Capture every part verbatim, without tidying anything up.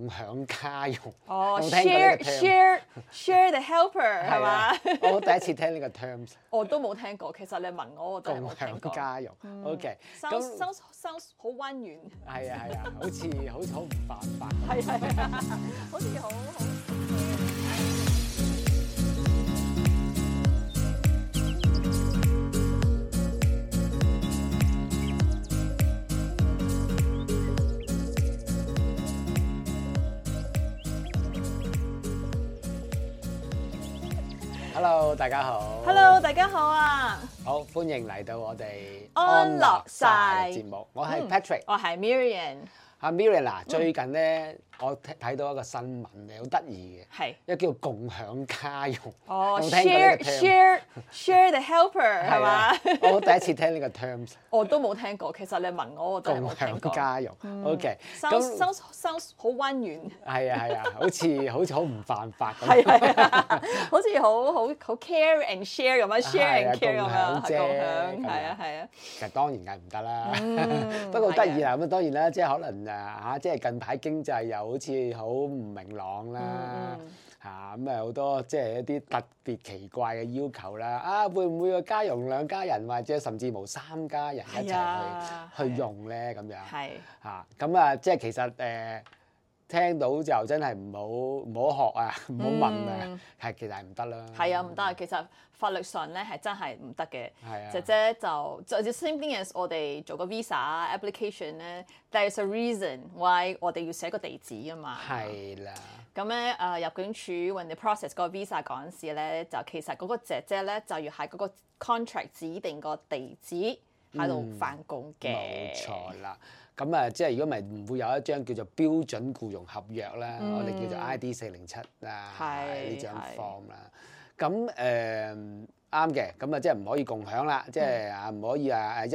共享家用。哦有冇聽過呢，share 個 term？ share share the helper 係係嘛啊？我第一次聽呢個 terms。我都冇聽過，其實你問我，我真係共冇聽過。享家用，OK， sounds sounds sounds 好溫軟。係啊係啊，好似好似好唔犯法。係係啊，好似好好。Hello， 大家好。Hello， 大家好啊！好，歡迎嚟到我哋安樂晒嘅節目。我係 Patrick，我係 Miriam。阿 Miriam 嗱，最近咧我睇睇到一個新聞咧，好得意嘅，係一個叫共享家用。哦有冇聽過呢，share 個 term？ share share the helper 係嘛係啊？我第一次聽呢個 terms。我都冇聽過，其實你問我，我真係共冇聽過。享家用，OK， sounds sounds sounds 好溫軟。係啊係啊，好似好似好唔犯法咁。係係啊，好似好好好 care and share 咁樣 share and care 咁樣，共享啫共享咁樣係啊係啊。其實當然梗係唔得啦，嗯不過好得意啦。咁啊當然啦，即係可能誒嚇，即係近排經濟又好似好唔明朗啦嗯嚇，咁啊好多即係一啲特別奇怪嘅要求啦。啊，會唔會個家用兩家人或者甚至無三家人一齊係啊去去用咧？咁樣係嚇，咁啊即係其實誒聽到就真係唔好唔好學啊，唔好問啊，係其實係唔得啦。係啊，唔得啊！其實法律上咧係真係唔得嘅。係啊姐姐就就 the same thing as 我哋做個 visa application 咧，there's a reason why 我哋要寫個地址㗎嘛。係啦。咁咧誒入境處 when你 process 個 visa 嗰陣時咧，就其實嗰個姐姐咧就要喺嗰個 contract 指定個地址喺度翻工嘅。冇錯啦，咁啊，即係如果唔係唔會有一張叫做標準僱傭合約啦，我哋叫做 I D 四零七啊係呢張係 form 啦。咁誒啱嘅，咁啊即係唔可以共享啦，即係啊唔可以啊誒一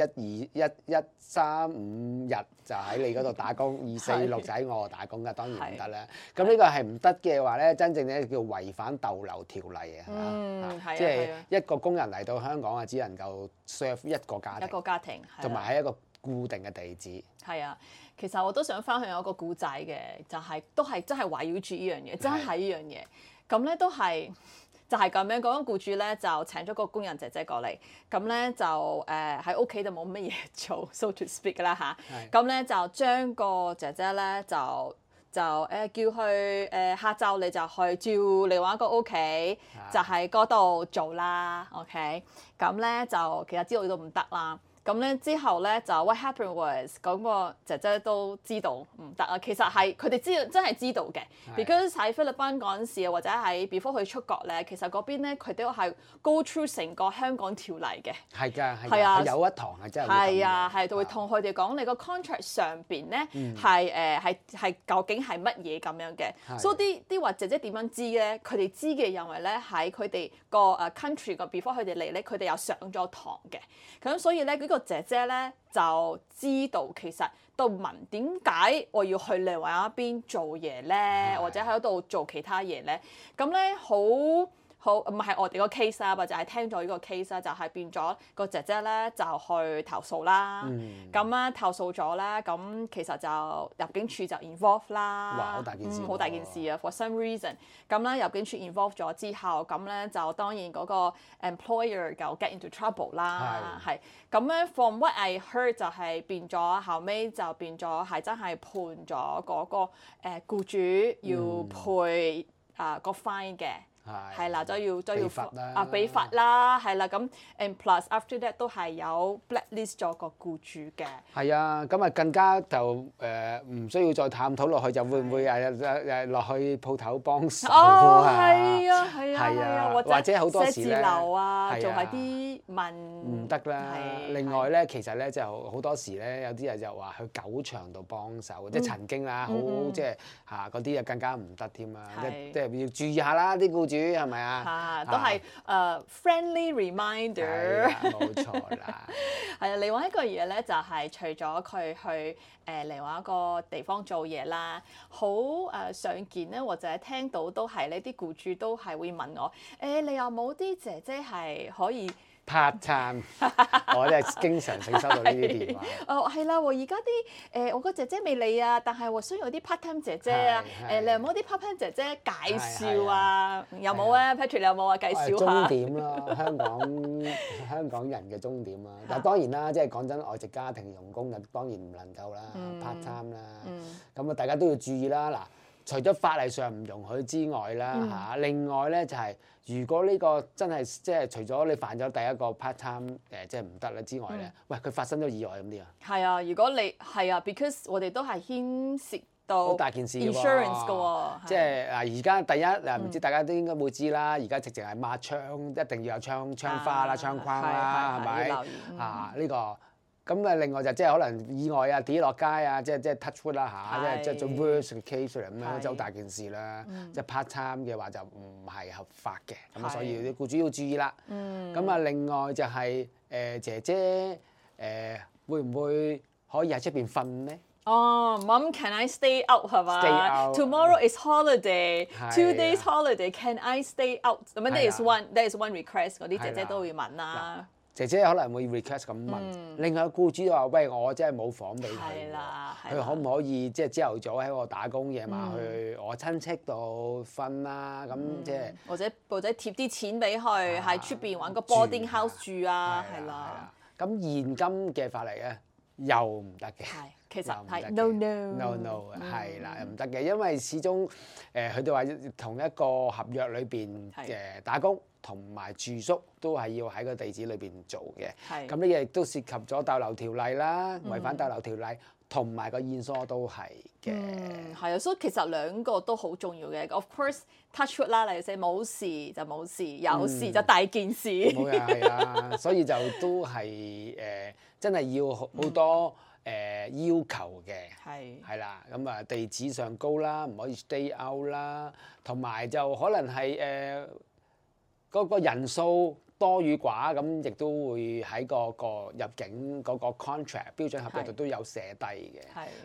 二一一三五日就喺你嗰度打工，二四六就喺我度打工㗎，當然唔得啦。咁呢個係唔得嘅話咧，真正咧叫違反逗留條例啊，係嗯嘛？係啊即係係啊一個工人嚟到香港啊，只能夠 serve 一個家一庭，個家庭，係啊同埋喺一個固定嘅地址。係啊，其實我都想分享一個故仔嘅，就係、都係真係圍繞住呢樣嘢，真係呢樣嘢。咁咧都係就係咁樣，嗰個僱主咧就請咗個工人姐姐過嚟，咁咧就誒喺屋企就冇乜嘢做，so to speak 啦吓，咁咧就將個姐姐咧就就誒、呃、叫佢誒、呃、下晝你就去照另外一個屋企，就喺嗰度做啦，OK？咁咧就其實知道都唔得啦。咁咧之後咧就 what happened was 嗰個姐姐都知道唔得啊，其實係佢哋知道真係知道嘅，because 喺菲律賓嗰陣時啊，或者喺 before 佢出國咧，其實嗰邊咧佢都係 go through 成個香港條例嘅。係㗎，係係啊㗎，有一堂係真係會咁係啊，嘅係會同佢哋講你個 contract 上邊咧嗯係誒係係究竟係乜嘢咁樣嘅，係所以啲啲話姐姐點樣知咧？佢哋知嘅因為咧喺佢哋個誒 country 個 before 佢哋嚟咧，佢哋有上咗堂嘅，咁所以咧呢個姐姐咧就知道其實都問點解我要去另外一邊做嘢咧，或者喺度做其他嘢咧，咁咧好。好唔係我哋個 case 啦，或者係聽咗呢個 case 啦，就係變咗個姐姐咧就去投訴啦。咁咧、嗯、投訴咗咧，咁其實就入境處就 involve 啦。哇好大件事喎嗯好大件事啊 ！For some reason，咁咧入境處 involve 咗之後，咁咧就當然嗰個 employer 就 get into trouble 啦。係咁咧，from what I heard 就係變咗後尾就變咗係真係判咗嗰、個誒、呃、僱主要賠啊、呃、個 fine 嘅。係啦，都要都要啊俾罰啦，係啦，咁 and plus after that 都係有 blacklist 咗個僱主嘅。係啊，咁啊更加就誒唔需要再探討落去，就會唔會誒誒誒落去鋪頭幫手哦，啊？係啊，係啊，係啊係啊，或或者好多時咧寫字樓啊，係啊做下啲文唔得啦。係另外咧，其實咧就好多時咧，有啲人就話去狗場度幫手，即係曾經啦，好即係嚇嗰啲啊更加唔得添啊！即係即係要注意下啦，啲僱主係咪啊？啊，都係誒 friendly 係 reminder。啊冇錯啦。係啊，另外一個嘢咧就係、除咗佢去誒、呃、另外一個地方做嘢啦，好誒、呃、常見咧，或者聽到都係呢啲僱主都係會問我誒、欸，你有冇啲姐姐係可以 part time，我真係經常性收到呢啲電話。哦，係啦喎，而家啲誒我個姐姐未嚟啊，但係喎需要有啲 part time 姐姐啊，誒你有冇啲 part time 姐姐介紹啊？有冇啊 ？Patrick 你有冇啊？介紹下。終點啦，香港香港人嘅終點啦。但係當然啦，即係講真，外籍家庭傭工就當然唔能夠啦 ，part time 啦。咁啊，大家都要注意啦。嗱，除咗法例上唔容許之外啦嚇，另外咧就係。如果呢個真係即係除咗你犯咗第一個 part time 誒即係唔得啦之外咧，嗯、喂佢發生咗意外咁點啊？係啊，如果你係啊 ，because 我哋都係牽涉到好大件事 insurance 嘅喎，即係嗱而家第一嗱唔知大家都應該會知啦，而家直情係抹窗一定要有窗窗花啦、窗框啦，係咪啊？呢個。咁啊，另外就即係可能意外啊，跌落街啊，即係即係 touch wood 啦嚇，即係即係做 worst case 嚟咁樣，就好大件事啦。即係 part time 嘅話就唔係合法嘅，咁所以啲僱主要注意啦。咁啊，另外就係誒姐姐誒會唔會可以喺出邊瞓咧？哦 ，Mom，can I stay out 係嘛 ？Stay out。 Tomorrow is holiday，two days holiday，can I stay out？咁樣 that is one，that is one request，嗰啲姐姐都會問啦。姐姐可能會 request 咁問，嗯、另外僱主就話：喂，我真係冇房俾佢，佢可唔可以即係朝頭早喺我打工，夜晚去我親戚度瞓啦？咁、嗯、即係或者或者貼啲錢俾佢喺出邊揾個 boarding house 住啊，係啦。咁現今嘅法例咧又唔得嘅，其實係 no no no no 係啦，唔得嘅，因為始終誒佢哋話同一個合約裏邊嘅打工。同埋住宿都係要喺個地址裏邊做嘅，咁呢嘢亦都涉及咗逗留條例啦，違反逗留條例，同埋個現疏都係嘅。嗯，係啊，所以其實兩個都好重要嘅。Of course touch wood 啦，例如冇事就冇事，有事就大件事。冇嘅係啊，所以就都係誒、呃，真係要好多誒、呃、要求嘅。係係啦，咁啊地址上高啦，唔可以 stay out 啦，同埋就可能係誒。呃嗰個人數多與寡，咁亦都會喺個個入境嗰個 contract 標準合約度都有寫低嘅，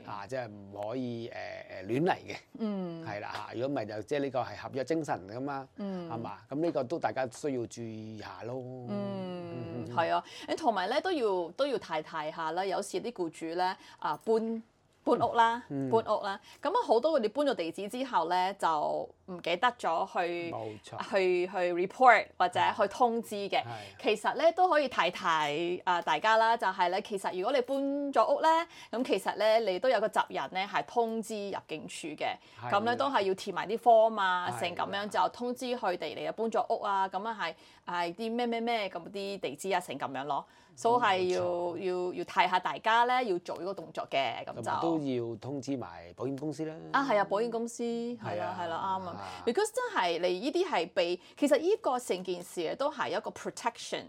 嚇，即係唔可以誒誒、呃、亂嚟嘅，嗯，係啦嚇。如果唔係就即係呢個係合約精神㗎嘛，嗯，係嘛？咁呢個都大家需要注意下咯。嗯，係啊，誒同埋咧都要都要提提下啦。有時啲僱主咧啊搬。搬屋啦，嗯、搬屋啦，咁啊好多佢哋搬咗地址之後咧，就唔記得咗去冇錯去去 report 或者去通知嘅。其實咧都可以提提啊大家啦，就係、是、咧其實如果你搬咗屋咧，咁其實咧你都有個責任咧係通知入境處嘅，咁咧的都係要填埋啲 form 啊，成咁樣就通知佢哋你又搬咗屋啊，咁啊係係啲咩咩咩咁啲地址啊，成咁樣咯。所以係要要要提下大家咧，要做呢個動作嘅，咁就都要通知埋保險公司啦。啊，係啊，保險公司係啦，係啦，啱啊。Because 真係你呢啲係俾，其實呢個成件事都係一個 protection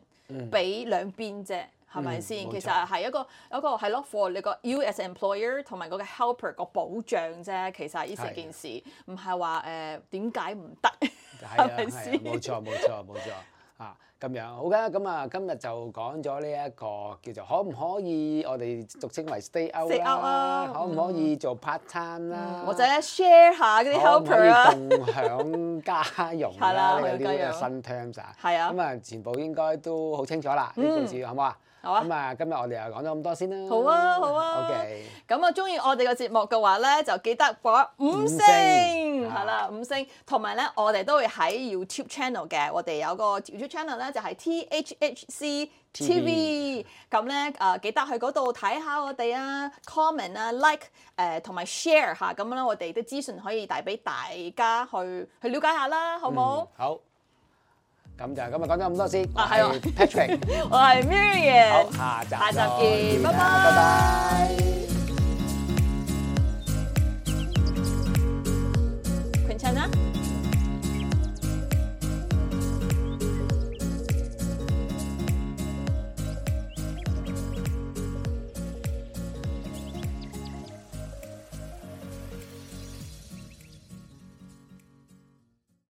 俾兩邊啫，係咪先？其實係一個一個係咯 for 你個 you as employer 同埋嗰個 helper 個保障啫。其實呢成件事唔係話誒點解唔得，係咪先？冇錯，冇錯，冇錯。啊，咁樣好嘅，咁啊，今日就講咗呢一個叫做可唔可以我哋俗稱為 stay out 啦，可唔可以做 part time 啦，或者 share 下嗰啲 helper 啊，可唔可以共享家用啦，呢啲嘅新 terms 啊，係啊，咁啊，全部應該都好清楚啦，呢件事好唔好啊？好啊！咁啊，今日我哋又講咗咁多先啦。好啊，好啊。OK。咁啊，中意我哋個節目嘅話咧，就記得播五星，係啦，五星。同埋咧，我哋都會喺 YouTube channel 嘅，我哋有個 YouTube channel 咧，就係 T H H C T V。咁咧誒，記得去嗰度睇下我哋啊 ，comment 啊，like 誒，同埋 share 下，咁樣我哋啲資訊可以帶俾大家去去了解下啦，好冇？好。咁就今日講咗咁多先，啊係喎 Patrick， 我係 Miriam， 好，下集下集見，拜拜，拜拜。Quintana。